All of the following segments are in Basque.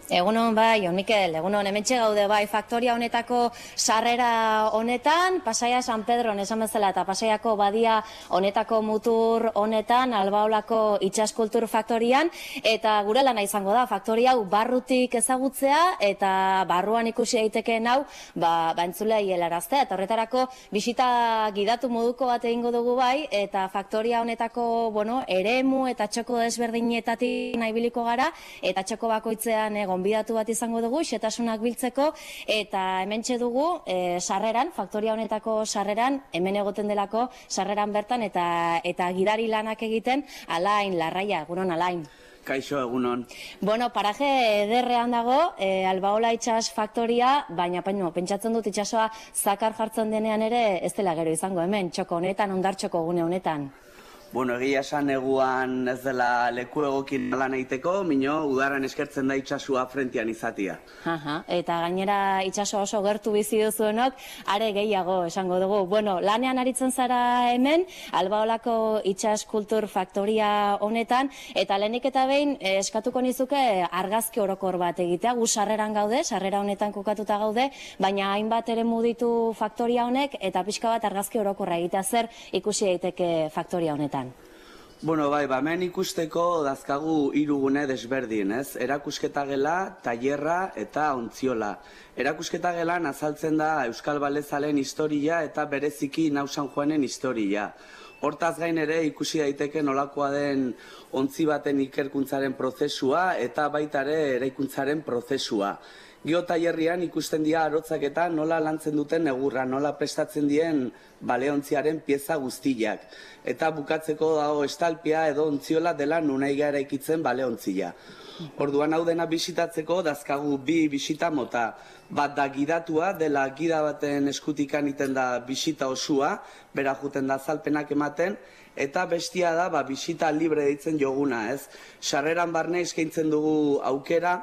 Egunon bai, Mikel, egunon hementxe gaude bai, faktoria honetako sarrera honetan, Pasaia San Pedron esan bezala eta Pasaiako badia honetako mutur honetan, Albaolako itsaskultur faktorian, eta gure lana izango da, faktoria hau barrutik ezagutzea eta barruan ikusi daitekeen hau, entzulei helaraztea, eta horretarako bisita gidatu moduko bat egingo dugu bai, eta faktoria honetako, eremu eta txoko desberdinetatik nahibiliko gara, eta txoko bakoitzean gonbidatu bat izango dugu, xetasunak biltzeko, eta hementxe dugu sarreran, faktoria honetako sarreran, hemen egoten delako sarreran bertan, eta gidari lanak egiten, Alain Larraia, egunon Alain. Kaixo, egunon. Paraje ederrean dago, Albaola itsas faktoria, baina pentsatzen dut itsasoa zakar jartzen denean ere ez dela gero izango hemen, txoko honetan, hondartxoko gune honetan. Egia esan neguan ez dela leku egokin lan egiteko, mino udaran eskertzen da itsasua frentian izatia. Eta gainera itsaso oso gertu bizi duzuenok, are gehiago esango dugu. Lanean aritzen zara hemen, Albaolako itsas kultur faktoria honetan, eta lehenik eta behin eskatuko nizuke argazki orokor bat egitea, gu sarreran gaude, sarrera honetan kokatuta gaude, baina hainbat ere muditu faktoria honek, eta pixka bat argazki orokorra egitea zer ikusi daiteke faktoria honetan. Hemen ikusteko dazkagu 3 gune desberdin, ez? Erakusketa gela, tailerra eta ontziola. Erakusketa gelan azaltzen da Euskal Balezalen historia eta bereziki Nau San Juanen historia. Hortaz gain ere ikusi daiteke nolakoa den ontzi baten ikerkuntzaren prozesua eta baita ere eraikuntzaren prozesua. Gio tailerrian ikusten dira arotzak eta nola lantzen duten egurra, nola prestatzen dien baleontziaren pieza guztiak. Eta bukatzeko dago estalpia edo ontziola dela nunaiga eraikitzen baleontzia. Orduan hau dena bisitatzeko dazkagu 2 bisita mota. Bat da gidatua, dela gida baten eskutikan iten da bisita osua, bera juten da azalpenak ematen, eta bestia da bisita libre deitzen joguna, ez? Sarreran barne eskaintzen dugu aukera,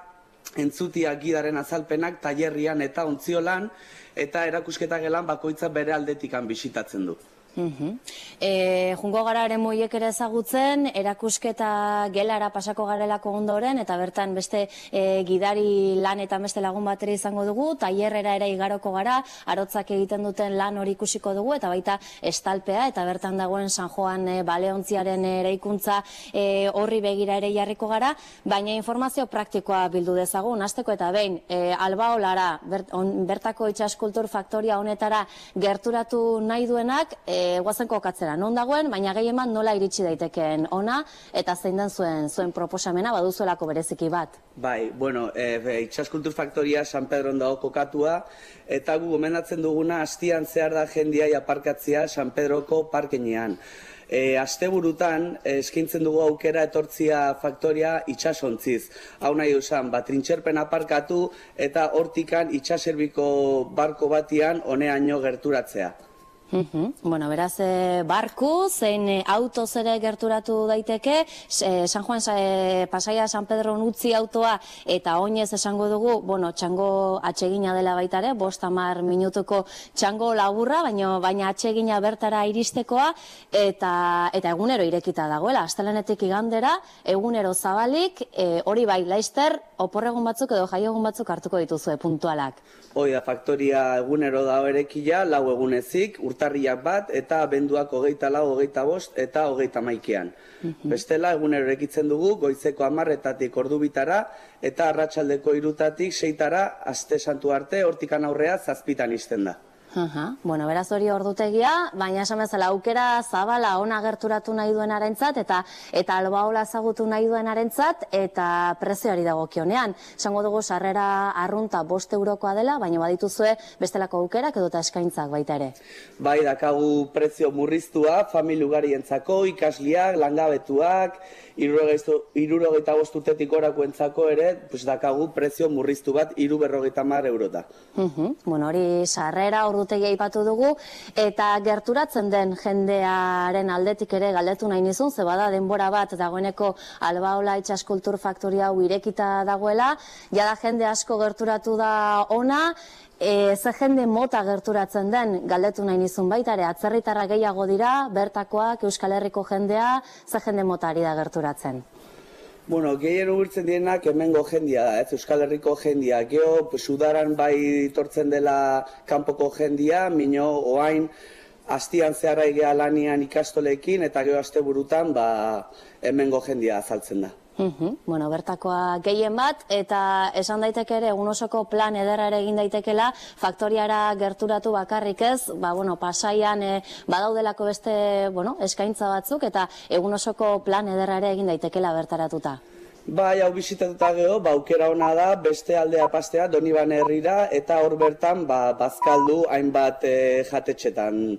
entzutia gidaren azalpenak tailerrian eta ontziolan, eta erakusketa gelan bakoitza bere aldetikan bisitatzen du. Jungo gara ere moiek ere ezagutzen, erakusketa gelara pasako garelako ondoren, eta bertan beste gidari lan eta beste lagun batera izango dugu, tailerrera ere igaroko gara, arotzak egiten duten lan hori ikusiko dugu, eta baita estalpea, eta bertan dagoen San Juan baleontziaren eraikuntza horri begira ere jarriko gara, baina informazio praktikoa bildu dezagun, hasteko eta behin, Albaolara, bertako itsaskultur faktoria honetara gerturatu nahi duenak, guazen kokatzera, non dagoen, baina gehieman nola iritsi daitekeen ona, eta zein den zuen proposamena, baduzuelako bereziki bat. Itsaskultur faktoria San Pedron dago kokatua, eta gu gomendatzen duguna astian zehar da jendia aparkatzea San Pedroko parkenean. Asteburutan eskaintzen dugu aukera etortzia faktoria itsasontziz. Hau nahi dusan, trintxerpen aparkatu eta hortikan itsaserbiko barko batian honeaino gerturatzea. Beraz, barku, zein autoz ere gerturatu daiteke, San Juan Pasaia San Pedron utzi autoa, eta oinez esango dugu, txango atsegina dela baita ere, 5-10 minutuko txango laburra, baina atsegina bertara iristekoa, eta egunero irekita dagoela, astelehenetik igandera, egunero zabalik, hori bai, laizter, oporregun batzuk edo jaiegun batzuk hartuko dituzue puntualak. Hoi da, faktoria egunero dago erekila, 4 egunezik, urtarriak bat, eta abenduak 24, 25 eta 31. Bestela, egunero erekitzen dugu, goizeko 10-etatik ordu bitara, eta arratsaldeko 3-tatik 6-tara, aste santu arte, hortikan aurrea 7-tan izten da. Beraz hori ordutegia, baina esan bezala aukera zabala ona gerturatu nahi duenarentzat eta Albaola ezagutu nahi duenarentzat eta prezioari dagokionean. Esango dugu sarrera arrunta 5 eurokoa dela, baina badituzue bestelako aukerak edota eskaintzak baita ere. Bai, dakagu prezio murriztua, familia ugarientzako, ikasliak, langabetuak, 75 urtetik gorakoentzako ere, dakagu prezio murriztu bat 350 eurota. Hori sarrera ordutegia aipatu dugu, eta gerturatzen den jendearen aldetik ere galdetu nahi nizun, ze bada denbora bat dagoeneko Albaola itsaskultur faktoria hau irekita dagoela, jada jende asko gerturatu da ona, ze jende mota gerturatzen den galdetu nahi nizun baita ere, atzerritarra gehiago dira, bertakoak, Euskal Herriko jendea, ze jende mota ari da gerturatzen? Bueno, gehien urbiltzen direnak hemengo jendia da, ez? Euskal Herriko jendia. Gero, udaran bai tortzen dela kanpoko jendia, mino oain astian zeharra egea lanian ikastolekin, eta gero asteburutan hemengo jendia azaltzen da. Bueno, bertakoa gehien bat, eta esan daiteke ere, egun osoko plan ederra ere egin daitekela, faktoriara gerturatu bakarrik ez, Pasaian badaudelako beste, eskaintza batzuk, eta egun osoko plan ederra ere egin daitekela bertaratuta. Bai, hau bizitatuta gero, aukera ona da, beste aldea pastea, Donibane herrira, eta hor bertan, bazkaldu hainbat jatetxetan.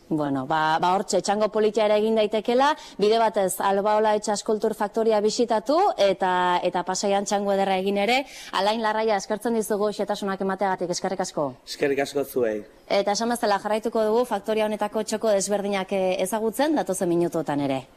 Bueno, hortxe, txango politia ere egin daitekela, bide batez, Albaola Etsas Kultur Faktoria bisitatu, eta Pasaian txango ederra egin ere. Alain Larraia, eskertzen dizugu xetasunak emateagatik, eskerrik asko. Eskerrik asko zuei. Eta esan bezala jarraituko dugu, faktoria honetako txoko desberdinak ezagutzen, datozen minutuotan ere.